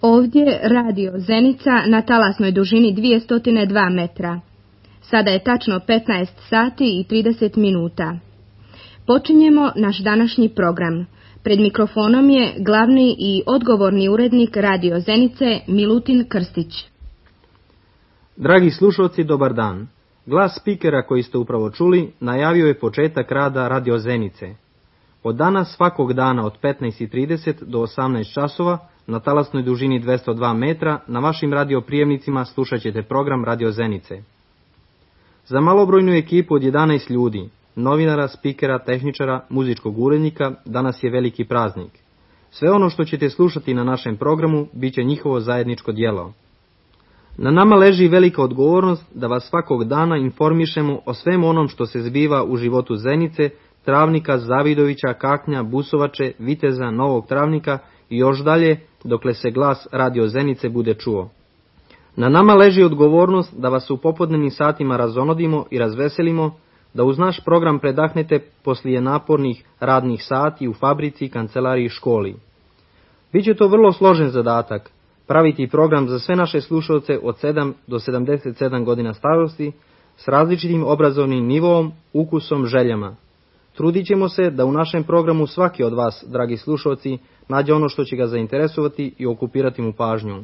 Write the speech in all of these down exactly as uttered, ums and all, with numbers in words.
Ovdje radio Zenica na talasnoj dužini dvjesto dva metra. Sada je tačno petnaest sati i trideset minuta. Počinjemo naš današnji program. Pred mikrofonom je glavni i odgovorni urednik radio Zenice Milutin Krstić. Dragi slušalci, dobar dan. Glas spikera koji ste upravo čuli najavio je početak rada radio Zenice. Od danas svakog dana od petnaest i trideset do osamnaest časova na talasnoj dužini dvjesto dva metra na vašim radioprijemnicima slušat ćete program radio Zenice. Za malobrojnu ekipu od jedanaest ljudi, novinara, spikera, tehničara, muzičkog urednika, danas je veliki praznik. Sve ono što ćete slušati na našem programu bit će njihovo zajedničko djelo. Na nama leži velika odgovornost da vas svakog dana informišemo o svem onom što se zbiva u životu Zenice, Travnika, Zavidovića, Kaknja, Busovače, Viteza, Novog Travnika i još dalje dokle se glas radio Zenice bude čuo. Na nama leži odgovornost da vas u popodnevnim satima razonodimo i razveselimo, da uz naš program predahnete poslije napornih radnih sati u fabrici, kancelariji i školi. Biće to vrlo složen zadatak, praviti program za sve naše slušalce od sedam do sedamdeset sedam godina starosti s različitim obrazovnim nivoom, ukusom, željama. Trudit ćemo se da u našem programu svaki od vas, dragi slušalci, nađe ono što će ga zainteresovati i okupirati mu pažnju.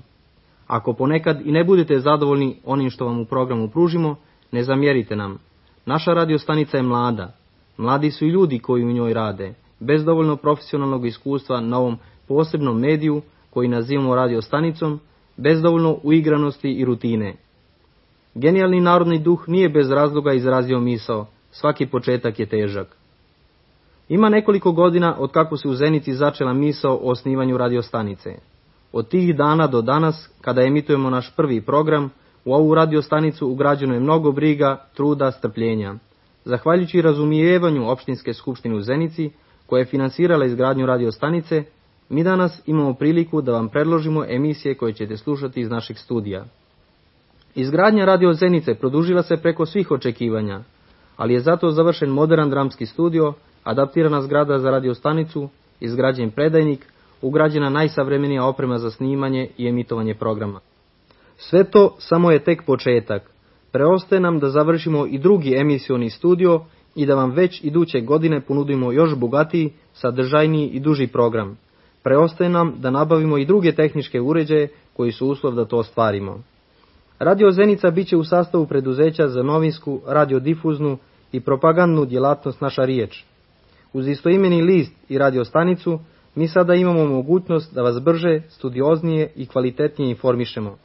Ako ponekad i ne budete zadovoljni onim što vam u programu pružimo, ne zamjerite nam. Naša radiostanica je mlada. Mladi su i ljudi koji u njoj rade, bez dovoljno profesionalnog iskustva na ovom posebnom mediju koji nazivamo radiostanicom, bez dovoljno uigranosti i rutine. Genijalni narodni duh nije bez razloga izrazio misao, svaki početak je težak. Ima nekoliko godina od kako se u Zenici začela misao o osnivanju radiostanice. Od tih dana do danas, kada emitujemo naš prvi program, u ovu radiostanicu ugrađeno je mnogo briga, truda, strpljenja. Zahvaljujući razumijevanju opštinske skupštine u Zenici, koja je finansirala izgradnju radiostanice, mi danas imamo priliku da vam predložimo emisije koje ćete slušati iz naših studija. Izgradnja radio Zenice produžila se preko svih očekivanja, ali je zato završen modern dramski studio, adaptirana zgrada za radiostanicu, izgrađen predajnik, ugrađena najsavremenija oprema za snimanje i emitovanje programa. Sve to samo je tek početak. Preostaje nam da završimo i drugi emisioni studio i da vam već iduće godine ponudimo još bogatiji, sadržajniji i duži program. Preostaje nam da nabavimo i druge tehničke uređaje koji su uslov da to ostvarimo. Radio Zenica bit će u sastavu preduzeća za novinsku, radiodifuznu i propagandnu djelatnost Naša riječ. Uz istoimeni list i radiostanicu mi sada imamo mogućnost da vas brže, studioznije i kvalitetnije informišemo.